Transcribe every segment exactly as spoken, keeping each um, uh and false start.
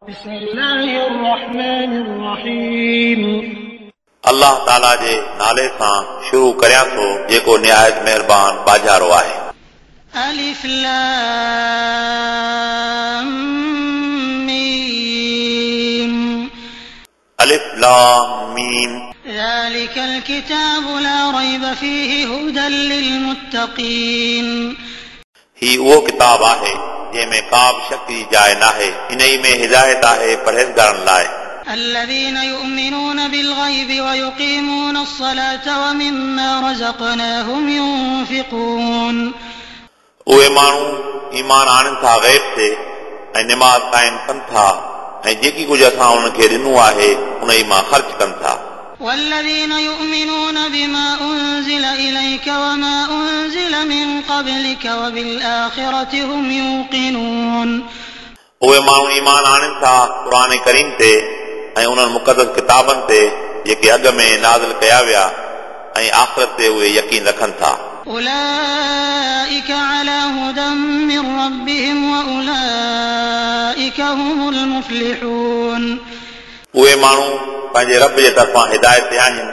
بسم الله الرحمن الرحيم. الله تعالى جي نالي سان شروع ڪريان ٿو جيڪو نهايت مهربان ٻاجهارو آهي. ألف لام ميم. ألف لام ميم. ذلك الكتاب لا ريب فيه هدى للمتقين. هي اهو ڪتاب آهي جنهن ۾ ڪا به شڪ جي جاءِ ناهي، انهي ۾ هدايت آهي پرهيزگارن لاءِ. الذين يؤمنون بالغيب ويقيمون الصلاة ومما رزقناهم ينفقون. اهي ماڻهو ايمان آڻن ٿا غيب تي ۽ نماز قائم ڪن ٿا ۽ جيڪي ڪجهه اسان انهن کي ڏنو آهي انهي مان خرچ ڪن ٿا. والذين يؤمنون بما أنزل إليك وما أنزل من قبلك وبالآخرة هم يوقنون. اهي ماڻهو ايمان آڻن ٿا قرآن ڪريم تي ۽ انهن مقدس ڪتابن تي جيڪي اڳ ۾ نازل ڪيا ويا ۽ آخرت تي اهي يقين رکن ٿا. أولئك على هدى من ربهم وأولئك هم المفلحون. اهي ماڻهو پنهنجي رب جي طرفان هدايت تي آهن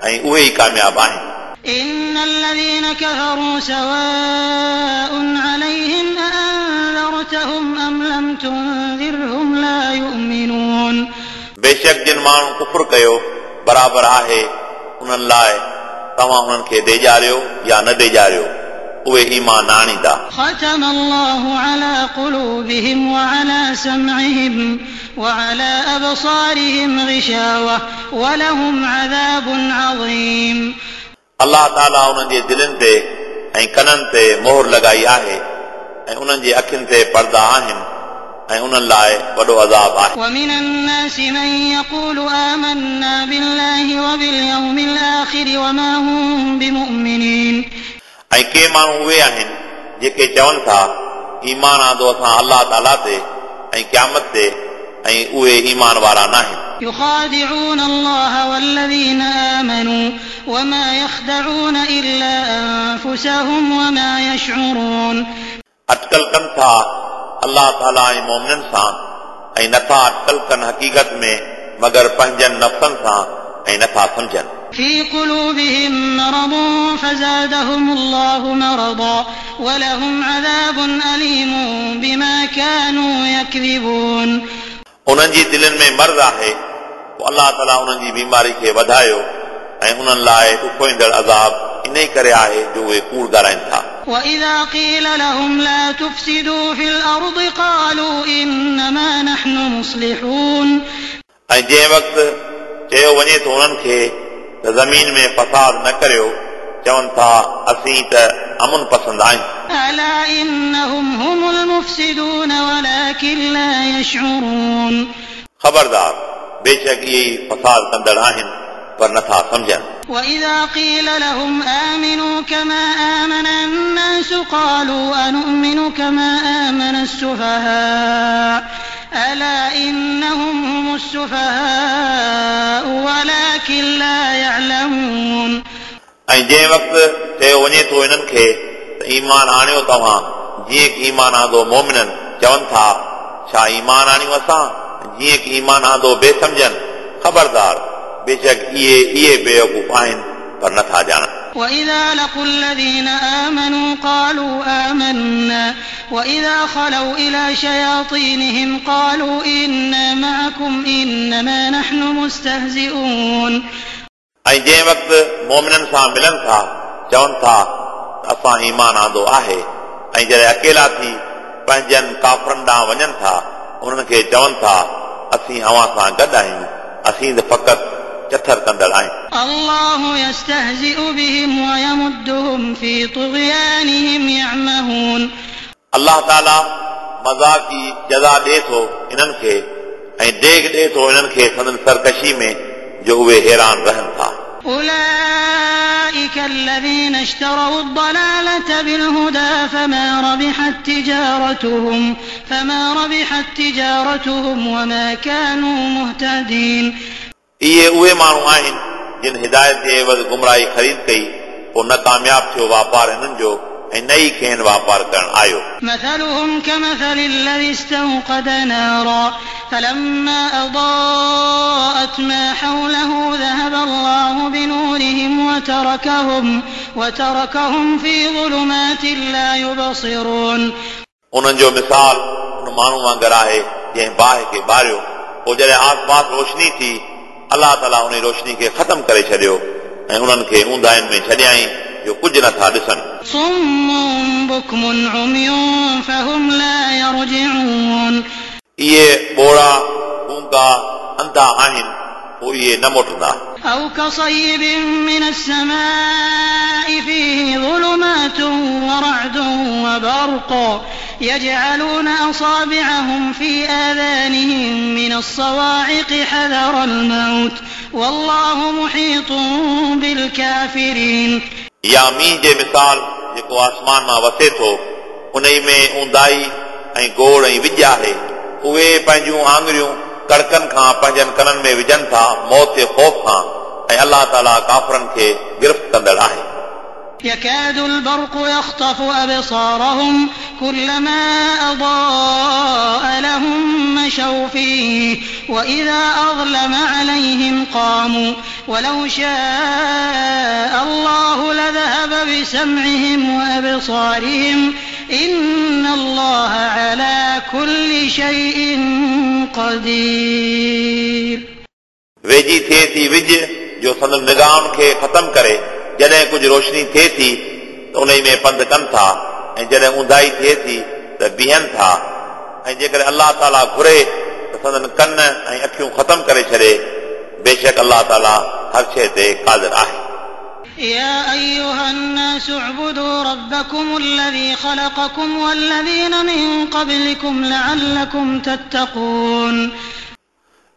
۽ اهي ئي ڪامياب آهن. إن الذين كفروا سواء عليهم أأنذرتهم أم لم تنذرهم لا يؤمنون. بيشڪ جن ماڻهن ڪفر ڪيو برابر آهي انهن لاءِ توهان انهن کي ڊيڄاريو يا نه ڊيڄاريو، اهي ايمان نه آڻيندا. ختم الله على قلوبهم وعلى سمعهم وعلى أبصارهم غشاوة ولهم عذاب عظيم. الله تعالى انهن جي دلن تي ۽ ڪنن تي مهر لڳائي آهي ۽ انهن جي اکين تي پردا آهن ۽ انهن لاءِ وڏو عذاب آهي. ومن الناس من يقول آمنا بالله وباليوم الآخر وما هم بمؤمنين. ۽ ڪي ماڻهو اهي آهن جيڪي چون ٿا ايمان آندو اسان الله تعالى تي ۽ قيامت تي ۽ اهي ايمان وارا ناهن. يخادعون الله والذين آمنوا وما يخدعون إلا أنفسهم وما يشعرون. اٽڪل ڪن ٿا الله تعالى ۽ مومنن سان ۽ نٿا اٽڪل ڪن حقيقت ۾ مگر پنهنجن نفسن سان ۽ نٿا سمجهن. في قلوبهم مرض فزادهم الله مرضا ولهم عذاب أليم بما كانوا يكذبون. انهن جي دلن ۾ مرض آهي پوءِ الله تعالى انهن جي بيماري کي وڌايو ۽ انهن لاءِ ڏکوئيندڙ عذاب انهي ڪري آهي جو اهي ڪوڙ ڳالهائن ٿا. وإذا قيل لهم لا تفسدوا في الأرض قالوا إنما نحن مصلحون. ۽ جنهن وقت چيو وڃي ٿو انهن کي ته زمين ۾ فساد نه ڪريو، چون ٿا اسين ته امن پسند آهيون. ألا إنهم هم المفسدون ولكن لا يشعرون. خبردار، بيشڪ اهي ئي فساد ڪندڙ آهن پر نٿا سمجهن. وإذا قيل لهم آمنوا كما آمن الناس قالوا أنؤمن كما آمن السفهاء ألا إنهم هم السفهاء ولكن لا يعلمون. ۽ جنهن وقت چيو وڃي ٿو انهن کي ته ايمان آڻيو توهان جيئن ڪه ايمان آندو مومنن، چون ٿا ڇا ايمان آڻيون اسان جيئن ڪه ايمان آندو بي سمجهن؟ خبردار، بيشڪ اهي اهي بيوقوف آهن پر نٿا ڄاڻن. وإذا لقوا الذين آمنوا قالوا آمنا وإذا خلوا إلى شياطينهم قالوا إنا معكم إنما نحن مستهزئون. ۽ جنهن وقت مومنن سان ملن ٿا چون ٿا اسان ايمان آندو آهي، ۽ جڏهن اڪيلا ٿي پنهنجن ڪافرن ڏانهن وڃن ٿا انهن کي چون ٿا اسين اوهان سان گڏ آهيون، اسين ته فقط چٿر ڪندڙ آهيون. الله يستهزئ بهم ويمدهم في طغيانهم يعمهون. الله تعالى مذاق جي جزا ڏئي ٿو انهن کي ۽ ڊيگهه ڏئي ٿو انهن کي سندن سرڪشي ۾ جو اهي حيران رهن ٿا. أولئك الذين اشتروا الضلالة بالهدى فما ربحت تجارتهم فما ربحت تجارتهم وما كانوا مهتدين. اهي اهي ماڻهو آهن جن هدايت جي عيوض گمراهي خريد ڪئي، پوءِ نه ڪامياب ٿيو واپار هنن جو ऐं न ई खेनि वापार करणु आयो। مثلهم كمثل الذي استوقد نارا فلما أضاءت ما حوله ذهب الله بنورهم وتركهم وتركهم في ظلمات لا يبصرون। उन्हनि जो मिसाल उन माण्हू वांगुरु आहे जंहिं बाहि खे ॿारियो, पोइ जॾहिं आसपास रोशनी थी अलाह ताला उन रोशनी खे ख़तमु करे छॾियो ऐं उन्हनि खे ऊंदाइनि में छॾियाईं जो कुझु नथा ॾिसनि। صم بكم عمي فهم لا يرجعون। इहे ॿोड़ा गूंगा अंधा आहिनि, पोइ इहे न मोटंदा। أو كصيب من السماء فيه ظلمات ورعد وبرق يجعلون أصابعهم في آذانهم من الصواعق حذر الموت والله محيط بالكافرين। या मींहुं जे मिसाल जेको आसमान मां वसे थो, उन में ऊंदाई ऐं गोड़ ऐं विॼ आहे। उहे पंहिंजूं आङुरियूं कड़कनि खां पंहिंजनि कननि में विझनि था मौत जे ख़ौफ़ खां, ऐं अलाह ताला काफ़रनि खे गिरफ़्त कंदड़ आहे। يكاد البرق يخطف أبصارهم كلما أضاء لهم مشوا فيه وإذا أظلم عليهم قاموا ولو شاء الله لذهب بسمعهم وأبصارهم إن الله على كل شيء قدير। वेझी थिए थी विझ जो संदन निगाहुनि खे ख़तमु करे, जॾहिं कुझु रोशनी थिए थी त उन में पंधु कनि था, ऐं जॾहिं ऊंदाई थिए थी त बीहनि था, ऐं जेकॾहिं अलाह ताला घुरे त संदन कन ऐं अखियूं ख़तमु करे छॾे। बेशक अलाह ताला हर शइ ते क़ादिर आहे। يا أيها الناس اعبدوا ربكم الذي خلقكم والذين من قبلكم لعلكم تتقون।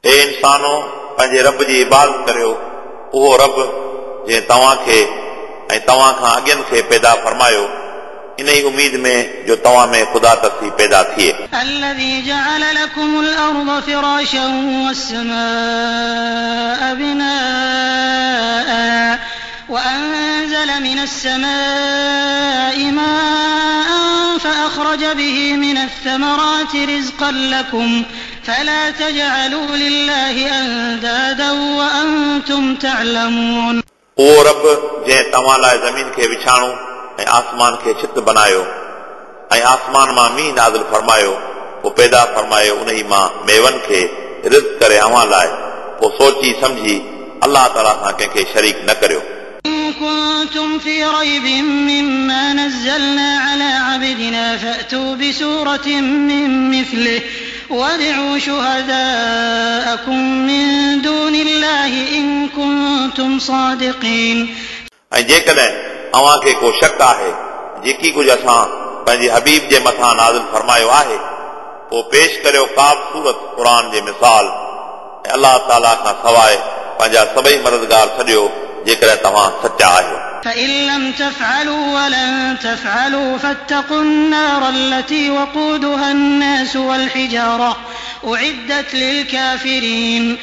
ए इंसानो, पंहिंजे रब जी इबादत करियो, उहो रब जंहिं तव्हांखे ऐं तव्हां खां अॻियनि खे पैदा फरमायो, इन ई उमीद में जो तव्हां में ख़ुदा तरसी पैदा थिए। الذي جعل لكم الأرض فراشا والسماء بناء وأنزل من السماء ماء فأخرج به من الثمرات رزقا لكم فلا تجعلوا لله أندادا وأنتم تعلمون। उहो रब जंहिं तव्हां लाइ ज़मीन खे विछाणो ऐं आसमान खे छित बनायो ऐं आसमान मां मींहुं नाज़िल फरमायो, पोइ पैदा फरमायो उन ई मां मेवनि खे रिज़्क करे अव्हां लाइ, पोइ सोची सम्झी अलाह ताला सां कंहिंखे शरीक न करियो। إن كنتم في ريب مما نزلنا على عبدنا فأتوا بسورة من مثله وادعوا شهداءكم من دون الله إن كنتم صادقين। ऐं जेकॾहिं अव्हांखे को शक आहे जेकी कुझु असां पंहिंजे हबीब जे मथां नाज़िल फरमायो आहे, पोइ पेश करियो का बि सूरत क़ुर जे मिसाल, ऐं अलाह ताला खां सवाइ पंहिंजा सभई मददगार छॾियो जेकॾहिं तव्हां सचा आहियो। فإن لم تفعلوا ولن تفعلوا فاتقوا النار التي وقودها الناس والحجارة أعدت للكافرين।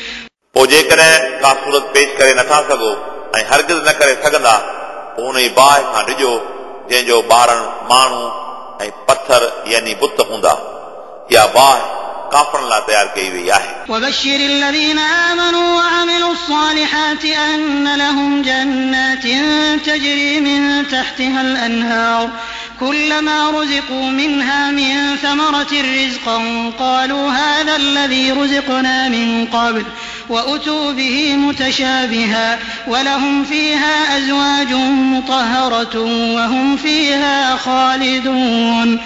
पोइ जेकॾहिं का सूरत पेश करे नथा सघो ऐं हरगिज़ न करे सघंदा, पोइ उन ई बाहि खां डिॼो जंहिंजो ॿारण माण्हू ऐं पथर यानी बुत हूंदा। इहा बाहि काफ़रनि लाइ तयारु कई वई आहे। وبشر الذين آمنوا وعملوا الصالحات أن لهم جنات تجري من تحتها الأنهار كلما رزقوا منها من ثمرة رزقا قالوا هذا الذي رزقنا من قبل وأتوا به متشابها ولهم فيها أزواج مطهرة وهم فيها خالدون।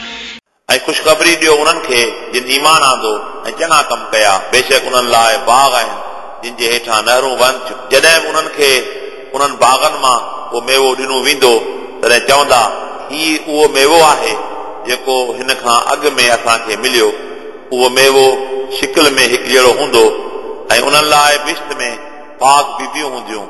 ऐं ख़ुशख़बरी ॾियो उन्हनि खे जिन ईमान आंदो ऐं चङा कम कया, बेशक उन्हनि लाइ बाग़ आहिनि जिन जे हेठां नहरूं वहनि थियूं। जॾहिं बि उन्हनि खे उन्हनि बाग़नि मां को मेवो ॾिनो वेंदो तॾहिं चवंदा, हीउ उहो मेवो आहे जेको हिन खां अॻु में असांखे मिलियो। उहो मेवो शिकिल में हिकु जहिड़ो हूंदो ऐं उन्हनि लाइ बिश्त में पाक बीबियूं हूंदियूं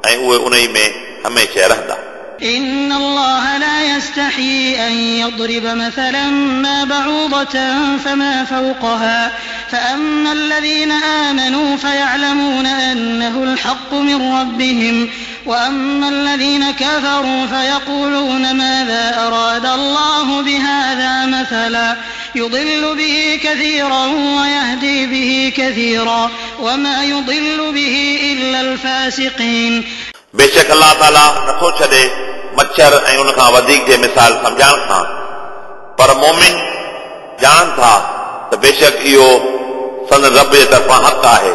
ऐं उहे उन में हमेशह रहंदा। إن الله لا يستحيي أن يضرب مثلا ما بعوضة فما فوقها فأما الذين آمنوا فيعلمون أنه الحق من ربهم وأما الذين كفروا فيقولون ماذا أراد الله بهذا مثلا يضل به كثيرا ويهدي به كثيرا وما يضل به إلا الفاسقين. बेशक अल्लाह ताला नथो छॾे मच्छर ऐं उन खां वधीक जे मिसाल सम्झाइण खां, पर मोमिन ॼाणनि था त बेशक इहो संदन रब जे तरफ़ां हक़ आहे,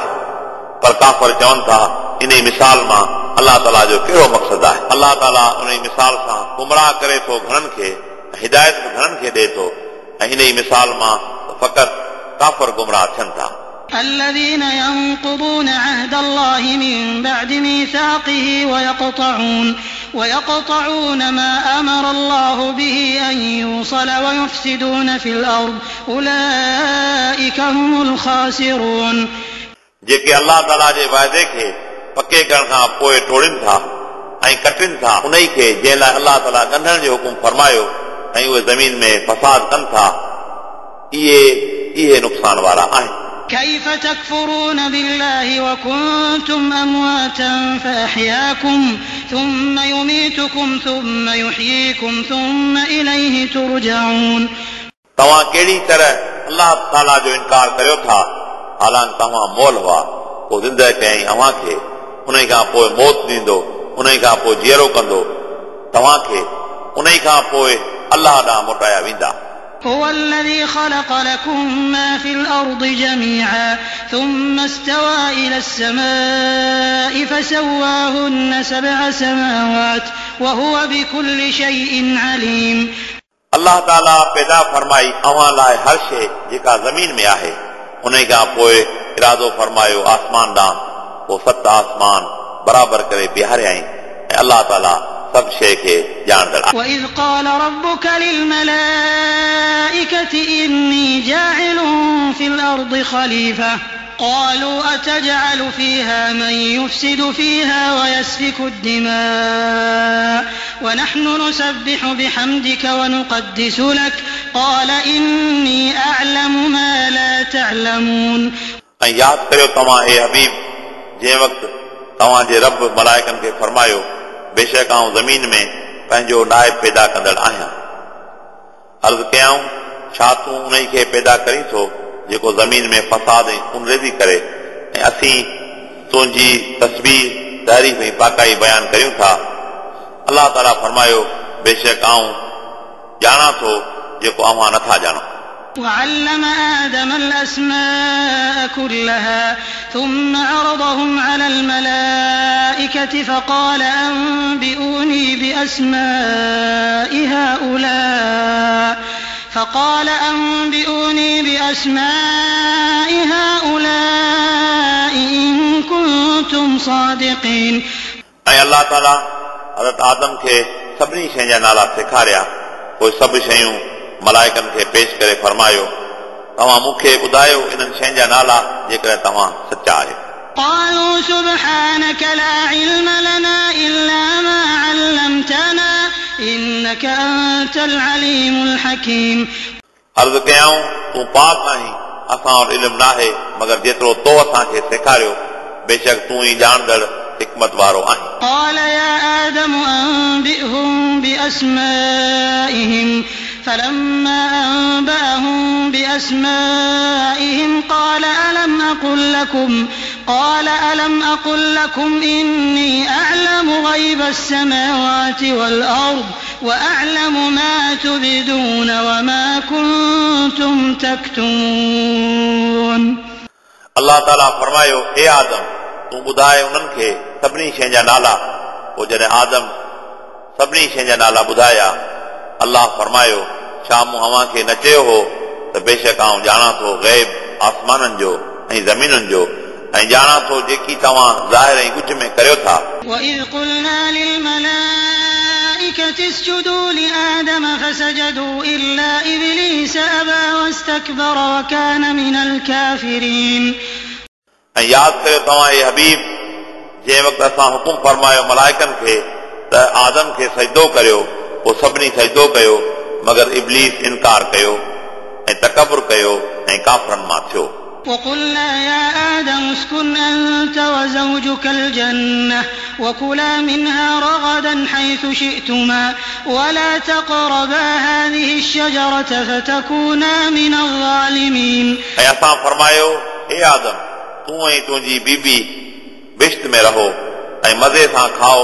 पर काफ़र चवनि था इन मिसाल मां अल्लाह ताला जो कहिड़ो मक़सदु आहे। अल्लाह ताला उन मिसाल सां गुमराह करे थो घणनि खे, हिदायत बि घणनि खे ॾिए थो, ऐं इन मिसाल मां फ़क़ति काफ़र गुमराह थियनि था। الذين ينقضون عهد الله من بعد ميثاقه ويقطعون ويقطعون ما أمر الله به أن يوصل ويفسدون في الأرض أولئك هم الخاسرون. जेके अल्लाह ताला जे वाइदे खे पके करण खां पोइ टोड़नि था ऐं कटनि था उन खे जंहिं लाइ अल्लाह ताला ॻंढण जो हुकुम फरमायो, ऐं उहे ज़मीन में फसाद कनि था, इहे इहे नुक़सान वारा आहिनि। كيف تكفرون بالله وكنتم أمواتا فأحياكم ثم يميتكم ثم يحييكم ثم إليه ترجعون. तव्हां कहिड़ी तरह अल्लाह ताला जो इनकार करियो था, हालांकि तव्हां मोल हुआ, पोइ ज़िंदह कयईं अव्हां खे, उन खां पोइ मौत ॾींदो, उन खां पोइ जीअरो कंदो तव्हां खे, उन खां पोइ अल्लाह ॾांहुं मोटाया वेंदा। هو الذي خلق لكم ما في الأرض جميعا ثم استوى إلى السماء فسواهن سبع سماوات وهو بكل شيء عليم. अल्लाह ताला पैदा फरमाई अव्हां लाइ हर शइ जेका ज़मीन में आहे, उन खां पोइ इरादो फरमायो आसमान ॾांहुं, पोइ सत आसमान बराबरि करे बीहारियाईं, ऐं अल्लाह ताला सभु शइ खे ॼाणंदड़ आहे। وإذ قال ربك للملائكة إني جاعل في الأرض خليفة قالوا أتجعل فيها من يفسد فيها ويسفك الدماء ونحن نسبح بحمدك ونقدس لك قال إني أعلم ما لا تعلمون. ऐं यादि करियो तव्हां ए हबीब, जंहिं वक़्तु तव्हांजे रब मलाइकनि खे फरमायो, बेशक आउं ज़मीन में पंहिंजो नाइब पैदा कंदड़ आहियां। अर्ज़ कयाऊं, छा तूं उन खे पैदा करीं थो जेको ज़मीन में फसाद ऐं खूनरेज़ी करे, ऐं असीं तुंहिंजी तस्बीह तारीफ़ ऐं पाकाई बयानु करियूं था? अल्लाह ताला फरमायो, बेशक आउं ॼाणां थो जेको अव्हां नथा ॼाणो। وعلم آدم الأسماء كلها ثم عرضهم على الملائكة فقال أنبئوني بأسماء هؤلاء فقال أنبئوني بأسماء هؤلاء إن كنتم صادقين. ऐं अल्लाह ताला हज़रत आदम खे सभिनी शयुनि जा नाला सेखारिया, पोइ सभु शयूं मलाइकनि खे पेश करे फरमायो, तव्हां मूंखे ॿुधायो इन्हनि शयुनि जा नाला जेकॾहिं तव्हां सचा आहियो। قالوا سبحانك لا علم لنا إلا ما علمتنا إنك أنت العليم الحكيم. अर्ज़ कयाऊं, तूं पाक आहीं, असां वटि इल्मु नाहे मगर जेतिरो तो असांखे सेखारियो, बेशक तूं ई ॼाणंदड़ हिकमत वारो आहीं। قال يا آدم أنبئهم بأسمائهم فلما أنبأهم بأسمائهم قال ألم أقل لكم قال ألم أقل لكم إني أعلم غيب السماوات والأرض وأعلم ما تبدون وما كنتم تكتمون. अल्लाह ताला फरमायो, ए आदम, तूं ॿुधाए उन्हनि खे सभिनी शयुनि जा नाला। पोइ जॾहिं आदम सभिनी शयुनि जा नाला ॿुधाया, अल्लाह फरमायो, छा मूं अव्हां खे न चयो हो त बेशक आउं ॼाणां थो ग़ैब आसमाननि जो ऐं ज़मीनुनि जो, ऐं ॼाणां थो जेकी तव्हां ज़ाहिर ऐं ॻुझ में करियो था। وإذ قلنا للملائكة اسجدوا لآدم فسجدوا إلا إبليس أبى واستكبر وكان من الكافرين. ऐं यादि करियो तव्हां ए हबीब, जंहिं वक़्तु असां हुकुम फरमायो मलाइकनि खे त आदम खे सजदो करियो, पोइ सभिनी सजदो कयो, मगर इब्लीस इनकार कयो ऐं तकबुर कयो ऐं काफ़रनि मां थियो। وقلنا يا آدم اسكن أنت وزوجك الجنة وكلا منها رغدا حيث شئتما ولا تقربا هذه الشجرة فتكونا من الظالمين. ऐं असां फरमायो, हे आदम, तूं ऐं तुंहिंजी बीबी बिश्त में रहो ऐं मज़े सां खाओ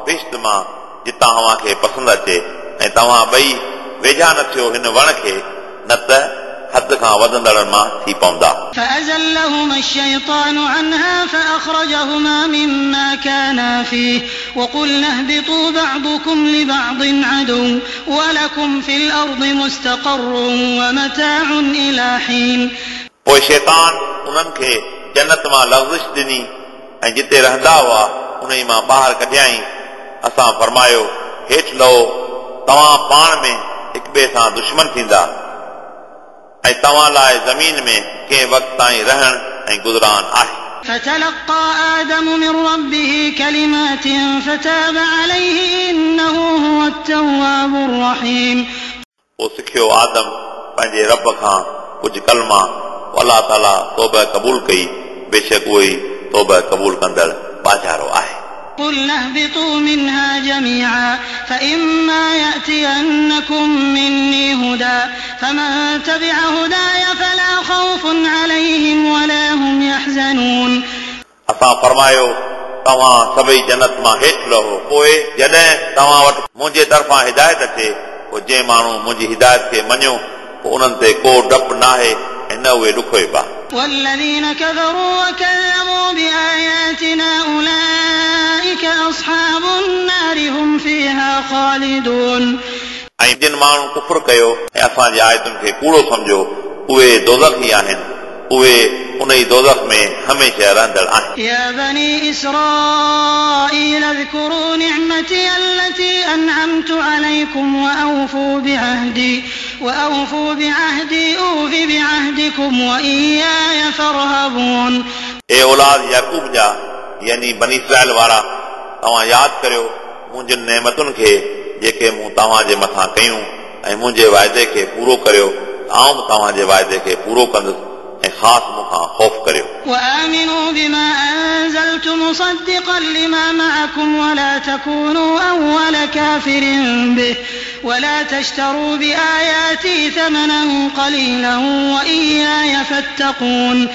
बिश्त मां जितां अव्हां खे पसंदि अचे, ऐं तव्हां ॿई वेझा न थियो हिन वण खे, न त हद खां वधंदड़नि मां थी पवंदा। فأزلهما الشيطان عنها فأخرجهما مما كانا فيه وقلنا اهبطوا بعضكم لبعض عدو ولكم في الأرض مستقر ومتاع إلى حين. पोइ शैतान उन्हनि खे जन्नत मां लग़ज़िश ॾिनी ऐं जिते रहंदा हुआ उन मां ॿाहिरि कढियाई। असां फरमायो, हेठि लहो, तव्हां पाण में हिक ॿिए सां दुश्मन थींदा ऐं तव्हां लाइ ज़मीन में कंहिं वक़्त ताईं रहण ऐं गुज़रान आहे। فتلقى آدم من ربه كلمات فتاب عليه إنه هو التواب الرحيم. पोइ सिखियो आदम पंहिंजे रब खां कुझु कलमा, पोइ अलाह ताला तौबा क़बूल कई, बेशक उहो ई तौबा क़बूल कंदड़ बाजारो आहे। قلنا اهبطوا منها جميعا فإما يأتينكم مني هدى فمن تبع هداي فلا خوف عليهم ولا هم يحزنون. असां फरमायो, तव्हां सभई जन्नत मां हेठि लहो, पोइ जॾहिं तव्हां वटि मुंहिंजे तरफ़ां हिदायत अचे, पोइ जंहिं माण्हू मुंहिंजी हिदायत खे मञियो, पोइ उन्हनि ते को डपु नाहे ऐं न उहे ॾुखोइबा। والذين كفروا وكذبوا بآياتنا أولئك أصحاب النار هم فيها خالدون. ऐं जिन माण्हू कुफुर कयो ऐं असांजी आयतुनि खे कूड़ो सम्झो, उहे दोज़ख़ी आहिनि, उहे उन ई दोज़ख़ में हमेशह रहंदड़ आहिनि। يا بني إسرائيل اذكروا نعمتي التي أنعمت عليكم وأوفوا بعهدي وأوفوا بعهدي أوف بعهدكم وإياي فارهبون. ए औलाद याकूब जा, यानी बनी इसराइल वारा, तव्हां यादि करियो मुंहिंजनि नेमतुनि खे जेके मूं तव्हांजे मथां कयूं, ऐं मुंहिंजे वाइदे खे पूरो करियो, आउं बि तव्हांजे वाइदे खे पूरो कंदुसि, ऐं ख़ासि मूं खां ख़ौफ़ करियो। وآمنوا بما أنزلت مصدقا لما معكم ولا تكونوا أول كافر به ولا تشتروا بآياتي ثمنا قليلا وإياي فاتقون.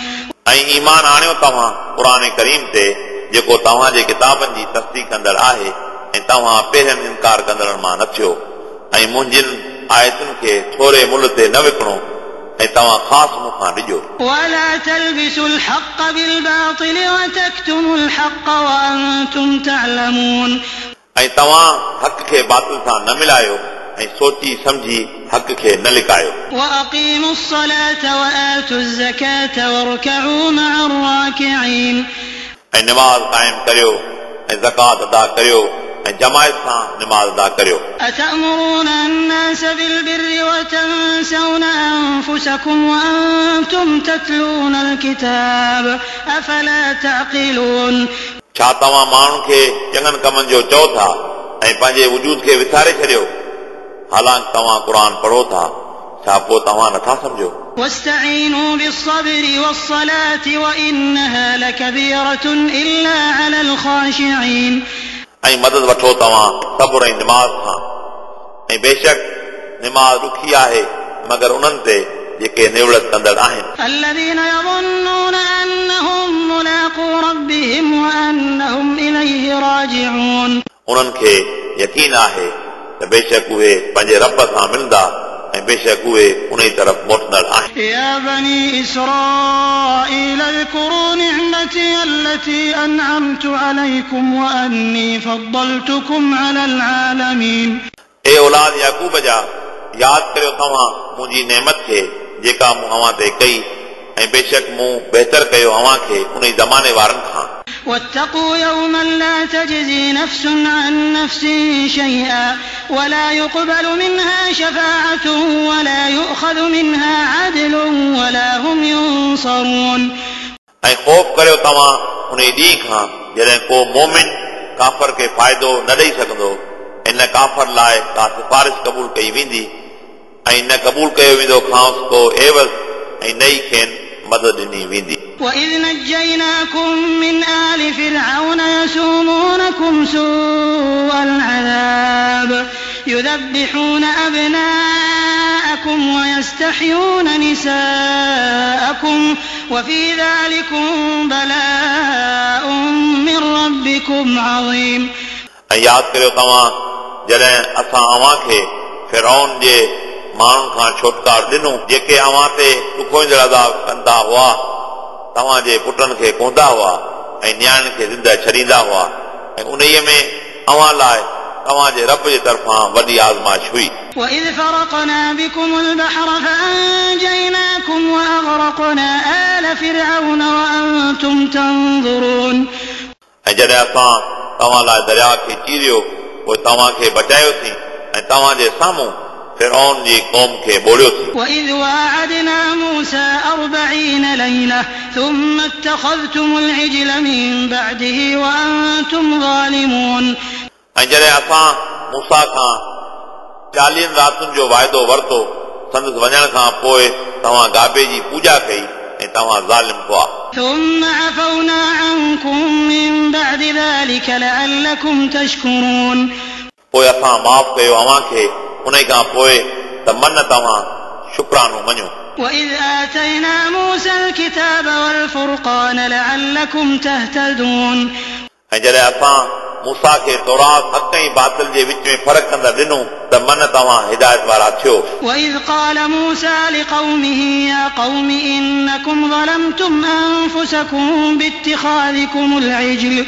ऐं ईमान आणियो तव्हां क़ुर करीम ते, जेको तव्हांजे किताबनि जी तस्दीक कंदड़ आहे, ऐं तव्हां पहिरियनि इनकार कंदड़नि मां न थियो, ऐं मुंहिंजनि आयतुनि खे थोरे मुल्ह ते न विकिणो, ऐं तव्हां ख़ासि मूं खां ॾिजो। ولا تلبسوا الحق بالباطل وتكتموا الحق وأنتم تعلمون. ऐं तव्हां हक़ खे बातिल सां न मिलायो, ऐं सोची सम्झी हक़ खे न लिकायो। وأقيموا الصلاة وآتوا الزكاة واركعوا مع الراكعين. ऐं नमाज़ क़ाइम करियो, ऐं ज़कात अदा करियो, ऐं जमायत सां नमाज़ अदा करियो। أتأمرون الناس بالبر وتنسون أنفسكم وأنتم تتلون الكتاب أفلا تعقلون. छा तव्हां माण्हुनि खे चङनि कमनि जो चओ था ऐं पंहिंजे वजूद खे विसारे छॾियो, हालांकि तव्हां क़ुर पढ़ो था, छा पोइ तव्हां नथा सम्झो? واستعينوا بالصبر والصلاة وإنها لكبيرة إلا على الخاشعين. ऐं मदद वठो तव्हां सब्र ऐं नमाज़ खां, ऐं बेशक नमाज़ ॾुखी आहे मगर उन्हनि ते जेके निवड़त कंदड़ आहिनि। الذين يظنون أنهم ملاقو ربهم وأنهم إليه راجعون. उन्हनि खे यकीन आहे त बेशक उहे पंहिंजे रब सां मिलंदा ऐं बेशक उहे उन ई तरफ़ मोटंदड़ आहिनि। يا بني إسرائيل اذكروا نعمتي التي أنعمت عليكم وأني فضلتكم على العالمين. ए औलाद याकूब जा, यादि करियो तव्हां मुंहिंजी नेमत खे जेका मूं अव्हां ते कई, ऐं बेशक मूं बहितर कयो अव्हां खे उन ई ज़माने वारनि खां। واتقوا يوما لا تجزي نفس عن نفس شيئا ولا يقبل منها شفاعة ولا يؤخذ منها عدل ولا هم ينصرون. ऐं ख़ौफ़ करियो तव्हां उन ॾींहं खां जॾहिं को मोमिन काफ़र खे फ़ाइदो न ॾेई सघंदो, ऐं न काफ़र लाइ का सिफारिश क़बूल कई वेंदी, ऐं न क़बूल कयो वेंदो खांसि को एवज़, ऐं न ई खेनि मदद ॾिनी वेंदी। وإذ نجيناكم من آل فرعون يسومونكم سوء العذاب يذبحون أبناءكم ويستحيون نساءكم وفي ذلكم بلاء من ربكم عظيم। ऐं यादि करियो तव्हां जॾहिं असां अव्हां खे फिरौन जे माण्हुनि खां छुटकारो ॾिनो जेके अव्हां ते ॾुखोईंदड़ अज़ाब कंदा हुआ, तव्हांजे पुटनि खे कोंदा हुआ ऐं नियाणियुनि खे ज़िंदा छॾींदा हुआ ऐं उन्हीअ में अव्हां लाइ तव्हांजे रब जे तरफ़ां वॾी आज़माइश हुई। وإذ فرقنا بكم البحر فأنجيناكم وأغرقنا آل فرعون وأنتم تنظرون। ऐं जॾहिं असां तव्हां लाइ दरिया खे चीरियो पोइ तव्हांखे बचायोसीं ऐं तव्हांजे साम्हूं फिरौन जी क़ौम खे ॿोड़ियोसीं। وإذ واعدنا موسى أربعين ليلة ثم اتخذتم العجل من بعده وأنتم ظالمون। ऐं जॾहिं असां मूसा खां चालीहनि रातियुनि जो वाइदो वरितो, संदसि वञण खां पोइ तव्हां गाबे जी पूॼा कई ऐं तव्हां ज़ालिम हुआ। ثم عفونا عنكم من بعد ذلك لعلكم تشكرون। पोइ असां माफ़ कयो अव्हां खे उन खां पोइ त मन तव्हां शुक्रानो मञो। وإذ آتينا موسى الكتاب والفرقان لعلكم تهتدون। ऐं जॾहिं असां मूसा खे तौरात हक़ ऐं बातिल जे विच में फ़र्क़ु कंदड़ ॾिनो त मन तव्हां हिदायत वारा थियो। وإذ قال موسى لقومه يا قوم إنكم ظلمتم أنفسكم باتخاذكم العجل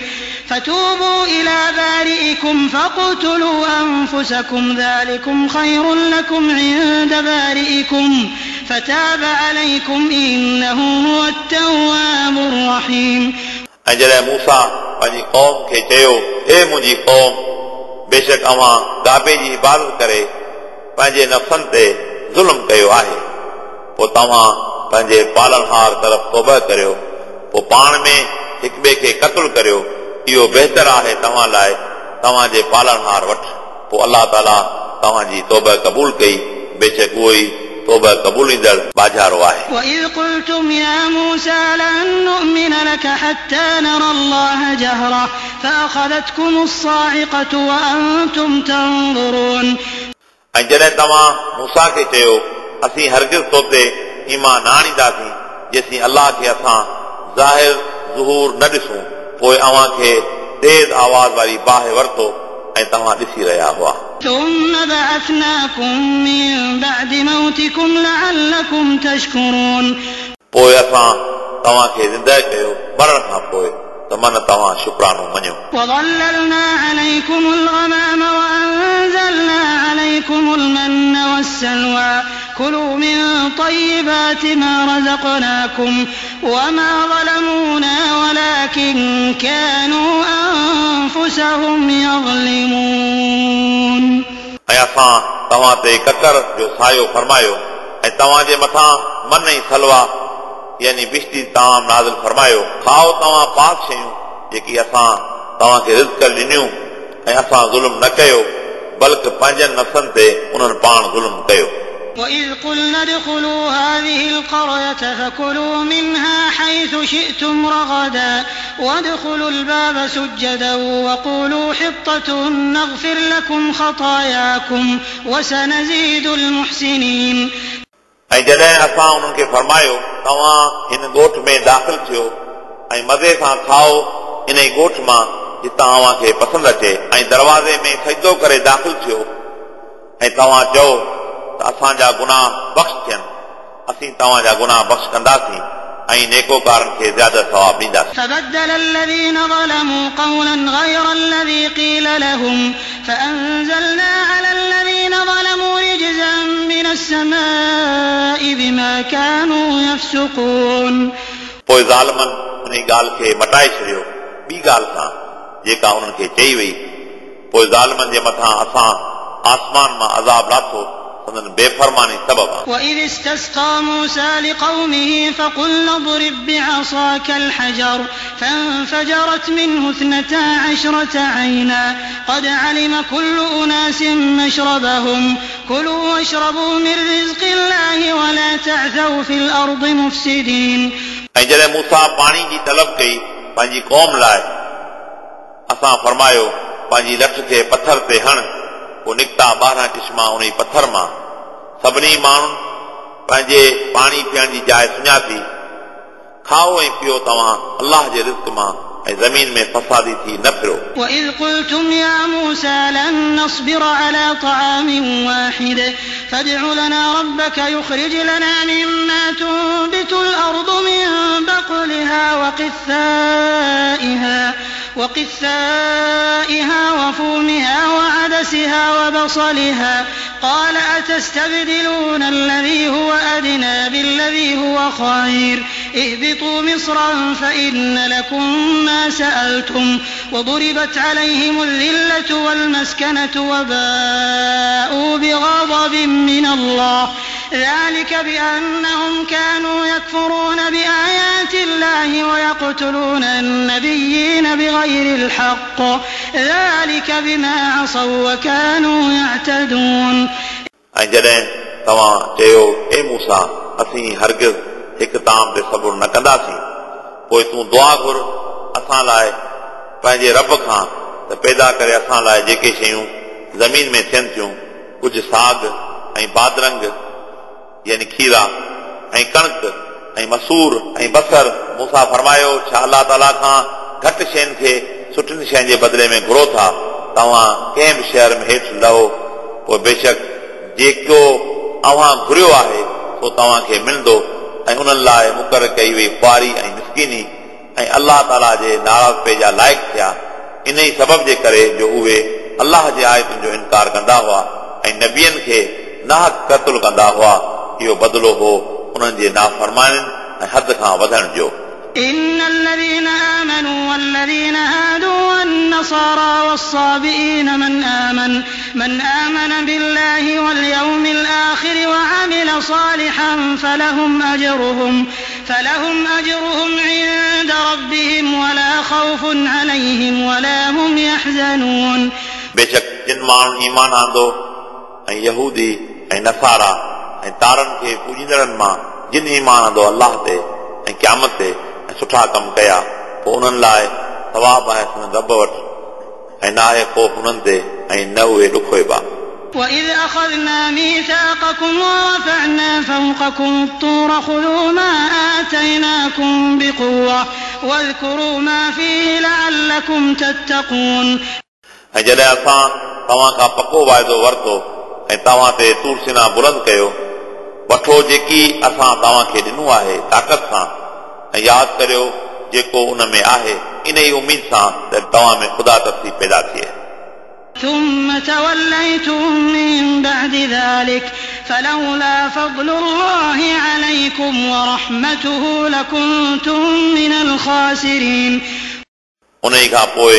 فتوبوا إلى بارئكم فاقتلوا أنفسكم ذلكم خير لكم عند بارئكم فتاب عليكم إنه هو التواب الرحيم। ऐं जॾहिं मूसा पंहिंजी क़ौम खे चयो, ए मुंहिंजी क़ौम, बेशक अव्हां गाबे जी इबादत करे पंहिंजे नफ़्सनि ते ज़ुल्म कयो आहे, पोइ तव्हां पंहिंजे पालनहार तरफ़ तौबा करियो, पोइ पाण में हिक ॿिए खे क़तलु करियो, इहो बहितर आहे तव्हां लाइ तव्हांजे पालनहार वटि। पोइ अलाह ताला तव्हांजी तौबा क़बूल कई, बेशक उहो ई तौबा क़बूलींदड़ बाजारो आहे। وإذ قلتم يا موسى لن نؤمن لك حتى نرى الله جهرة فأخذتكم الصاعقة وأنتم تنظرون। ऐं जॾहिं तव्हां मूसा खे चयो, असीं हरगिज़ तो ते ईमान न आणींदासीं जेसीं अलाह खे असां ज़ाहिर ज़ुहूर न ॾिसूं, पोइ अव्हां खे तेज़ आवाज़ वारी बाहि वरितो ऐं तव्हां ॾिसी रहिया हुआ। ثم بعثناكم من بعد موتكم لعلكم تشكرون। पोइ असां तव्हांखे ज़िंदा कयो मरण खां पोइ त मन तव्हां शुक्रानो मञो। وظللنا عليكم الغمام وأنزلنا عليكم المن والسلوى كلوا من طيبات ما رزقناكم وما ظلمونا ولكن كانوا أنفسهم يظلمون। ऐं असां तव्हां ते ककर जो सायो फरमायो ऐं तव्हांजे मथां मन ऐं सलवा यानी बिश्ती ताम नाज़िल फरमायो। खाओ तव्हां पाक शयूं जेकी असां तव्हांखे रिज़्क ॾिनियूं ऐं असां ज़ुल्म न कयो बल्कि पंहिंजनि नफ़्सनि ते उन्हनि पाण ज़ुल्म कयो। وإذ قلنا ادخلوا هذه القرية فكلوا منها حيث شئتم رغدا وادخلوا الباب سجدا وقولوا حطة نغفر لكم خطاياكم وسنزيد المحسنين। ऐं जॾहिं असां उन्हनि खे फरमायो, तव्हां हिन ॻोठ में दाख़िल थियो ऐं मज़े सां खाओ इन ई ॻोठ मां जितां अव्हांखे पसंदि अचे, ऐं दरवाज़े में सजदो करे दाख़िल थियो ऐं तव्हां चओ त असांजा गुनाह बख़्श थियनि, असीं तव्हांजा गुनाह बख़्श कंदासीं ऐं नेकोकारनि खे ज़्यादा सवाब ॾींदासीं। فبدل الذين ظلموا قولا غير الذي قيل لهم فأنزلنا على الذين ظلموا رجزا من السماء بما كانوا يفسقون। पोइ ज़ालिमनि उन ॻाल्हि खे मटाए छॾियो ॿी ॻाल्हि सां जेका उन्हनि खे चई वई। पोइ ज़ालिमनि जे मथां असां आसमान मां अज़ाब लाथो संदन बेफरमानी सबब। وإذ استسقى موسى لقومه فقلنا اضرب بعصاك الحجر فانفجرت منه اثنتا عشرة عينا قد علم كل أناس مشربهم كلوا واشربوا من رزق الله ولا تعثوا في الأرض مفسدين। ऐं जॾहिं मूसा पाणी जी तलब कई पंहिंजी क़ौम लाइ, असां फरमायो पंहिंजी लठ खे पथर ते हण, पोइ निकिता ॿारहं चिश्मा उन पथर मां। सभिनी माण्हुनि पंहिंजे पाणी पीअण जी जाइ सुञाती। खाओ ऐं पियो तव्हां अल्लाह जे रिज़्क मां ऐं ज़मीन में फसादी थी न फिरो। وإذ قلتم يا موسى لن نصبر على طعام واحد فادع لنا ربك يخرج لنا مما تنبت الأرض من بقلها وقثائها وقثائها وفومها وعدسها وبصلها قال أتستبدلون الذي هو أدنى بالذي هو خير اهبطوا مصرا فإن لكم ما سألتم وضربت عليهم الذلة والمسكنة وباءوا بغضب من الله ذلك بأنهم كانوا يكفرون بآيات الله ويقتلون النبيين بغير الحق ذلك بما عصوا وكانوا يعتدون। ऐं जॾहिं तव्हां चयो ए मूसा असीं हरगिज़ हिकु ताम ते सब्र न कंदासीं, पोइ तूं दुआ घुर असां लाइ पंहिंजे रब खां त पैदा करे असां लाइ जेके शयूं ज़मीन में थियनि थियूं, कुझु साग ऐं बादरंग यानी खीरा ऐं कणिक ऐं मसूर ऐं बसर। मूसा फरमायो छा अल्लाह ताला खां घटि शयुनि खे सुठियुनि शयुनि जे बदिले में घुरो था? तव्हां कंहिं बि शहर में हेठि लहो, पोइ बेशक जेको अव्हां घुरियो आहे सो तव्हांखे मिलंदो। ऐं उन्हनि लाइ मुक़ररु कई वई ख़्वारी ऐं मिसकीनी ऐं अल्लाह ताला जे नाराज़पे जा लाइक़ थिया, इन ई सबब जे करे जो उहे अल्लाह जे आयतुनि जो इनकार कंदा हुआ ऐं नबियनि खे नाहक़ क़तलु कंदा हुआ। इहो बदिलो हो उन्हनि जे नाफ़रमानियुनि ऐं हद खां वधण जो। إن الذين آمنوا والذين هادوا والنصارى والصابئين من آمن من آمن بالله واليوم الآخر وعمل صالحا فلهم أجرهم فلهم أجرهم عند ربهم ولا خوف عليهم ولا هم يحزنون। बेशक जिन माण्हुनि ईमान आंदो ऐं यहूदी ऐं नसारा ऐं तारनि खे पूजींदड़नि मां जिन ईमान आंदो अल्लाह ते ऐं क़यामत ते ऐं सुठा कम कया, पोइ उन्हनि लाइ सवाब आहे संदन रब वटि ऐं न आहे ख़ौफ़ उन्हनि ते ऐं न उहे ॾुखोइबा। وإذ أخذنا ميثاقكم ورفعنا فوقكم الطور خذوا ما آتيناكم بقوة واذكروا ما فيه لعلكم تتقون। ऐं जॾहिं असां तव्हां खां पको वाइदो वरितो ऐं तव्हां ते तूर सिना बुलंद कयो, वठो जेकी असां तव्हांखे ॾिनो आहे ताक़त सां, ऐं यादि करियो जेको उन में आहे, इन ई उमेद सां त तव्हां में ख़ुदा तरसी पैदा थिए। ثم توليتم من بعد ذلك فلولا فضل الله عليكم ورحمته لكنتم من الخاسرين। उन ई खां पोइ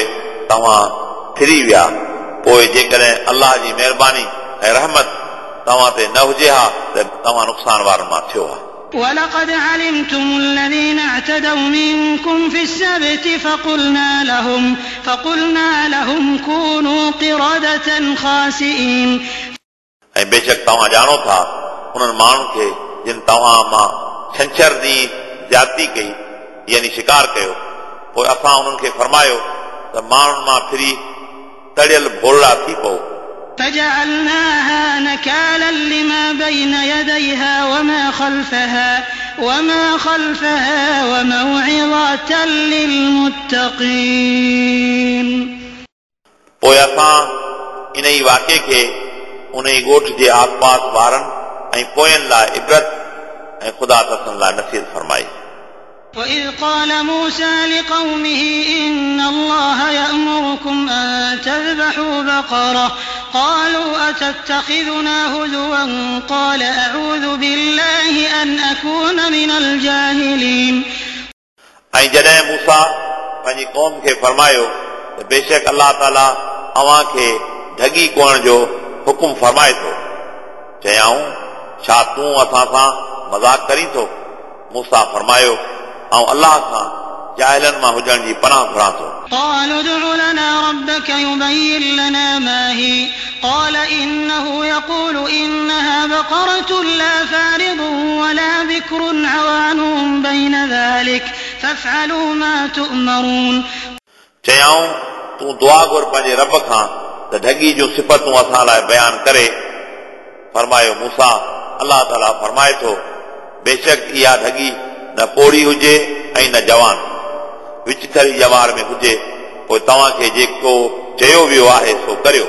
तव्हां फिरी विया, पोइ जेकॾहिं अल्लाह जी महिरबानी ऐं रहमत तव्हां ते न हुजे हा त तव्हां नुक़सान वारनि मां थियो हा। ولقد علمتم الذين اعتدوا منكم في السبت فقلنا لهم فقلنا لهم كونوا قردة خاسئين। ऐं बेशक तव्हां ॼाणो था उन्हनि माण्हुनि खे जिन तव्हां मां छंछर ॾींहुं ज़्यादती कई यानी शिकार कयो, पोइ असां उन्हनि खे फरमायो त माण्हुनि मां फिरी तड़ियल भोरड़ा थी पओ। فجعلناها نكالا لما بين يديها وما خلفها وما خلفها وموعظة للمتقين। पोइ असां इन ई वाक़े खे उन ई ॻोठ जे आसपास वारनि ऐं पोयनि लाइ इबरत ऐं ख़ुदा तसनि लाइ नसीहत फरमाई। وإذ قال موسى لقومه إن الله يأمركم أن تذبحوا بقرة قالوا أتتخذنا هزوا قال أعوذ بالله أن أكون من الجاهلين। ऐं जॾहिं मूसा पंहिंजी क़ौम खे फरमायो त बेशक अल्लाह ताला अव्हां खे ढगी कोहण जो हुकुम फरमाए थो, चयाऊं, छा तूं असां सां मज़ाक करीं थो? मूसा फरमायो, आउं अल्लाह खां जाहिलनि मां हुजण जी पनाह घुरां थो। قالوا ادع لنا ربك يبين لنا ما هي قال إنه يقول إنها بقرة لا فارض ولا بكر عوان بين ذلك فافعلوا ما تؤمرون। चयाऊं, तूं दुआ घुर पंहिंजे रब खां त ढगी जूं सिफ़तूं असां लाइ बयानु करे। फरमायो मूसा, अल्लाह ताला फरमाए थो, बेशक इहा ढगी न पोड़ी हुजे ऐं न जवान, विचथरी ॼमार में हुजे, पोइ तव्हांखे जेको चयो वियो आहे सो करियो।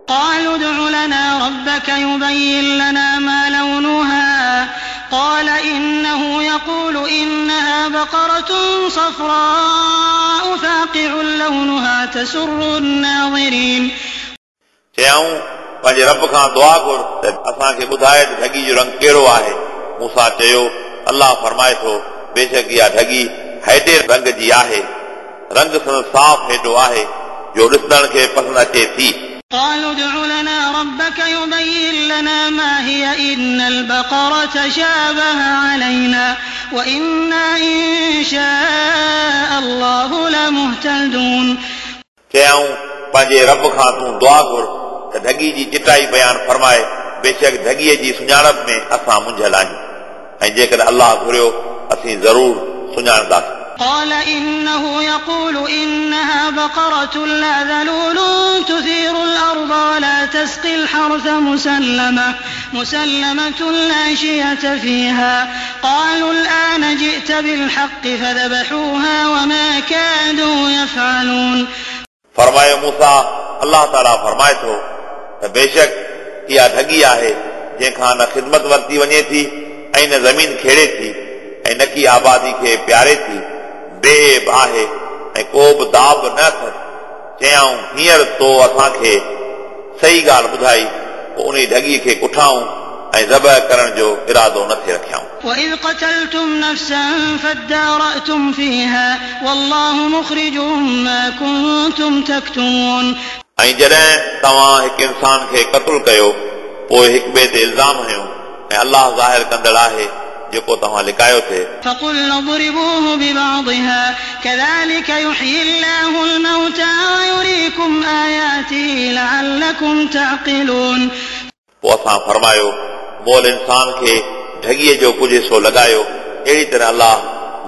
قالوا ادع لنا ربك يبين لنا ما لونها قال إنه يقول إنها بقرة صفراء فاقع لونها تسر الناظرين। चयाऊं, पंहिंजे रब खां दुआ घुर त असांखे ॿुधाए त ढगी जो रंग कहिड़ो आहे। मूसा चयो, अल्लाह फरमाए थो, बेशक इहा ढगी हैडे रंग जी आहे, रंग संदसि साफ़ हेॾो आहे जो ॾिसण खे पसंदि अचे थी। قالوا ادع لنا ربك يبين لنا ما هي إن البقرة تشابه علينا وإنا إن شاء الله لمهتدون। चयाऊं, पंहिंजे रब खां तूं दुआ घुर त ढगी जी चिटाई बयानु फरमाए, बेशक ढगीअ जी सुञाणप में असां मुंझियल आहियूं ऐं जेकॾहिं अल्लाह घुरियो असीं ज़रूर सुञाणंदासीं। قال إنه يقول إنها بقرة لا ذلول تثير الأرض ولا تسقي الحرث مسلمة مسلمة لا شية فيها قالوا الآن جئت بالحق فذبحوها وما كادوا يفعلون। फरमायो मूसा, अल्लाह ताला फरमाए थो त बेशक इहा ढगी आहे जंहिंखां न ख़िदमत वरिती वञे थी ऐं न ज़मीन खेड़े थी ऐं न की आबादी खे प्यारे थी, बेब आहे ऐं को बि दाब न अथसि। चयाऊं, हींअर तो असांखे सही ॻाल्हि ॿुधाई, पोइ उन ढगीअ खे कुठाऊं ऐं ज़बह करण जो इरादो न थे रखियाऊं। وإذ قتلتم نفسا فادارأتم فيها والله مخرج ما كنتم تكتمون। ऐं जॾहिं तव्हां हिकु इंसान खे क़तलु कयो, पोइ हिक ॿिए ते इल्ज़ाम हणियो ऐं अल्लाह ज़ाहिर कंदड़ आहे जेको तव्हां लिकायो थे। فقلنا اضربوه ببعضها كذلك يحيي الله الموتى ويريكم آياته لعلكم تعقلون। पोइ असां फरमायो, मोल इंसान खे ढगीअ जो कुझु हिसो लॻायो, अहिड़ी तरह अल्लाह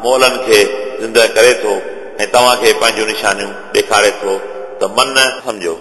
मोलनि खे ज़िंदा करे थो ऐं तव्हांखे पंहिंजूं निशानियूं ॾेखारे थो त मन सम्झो।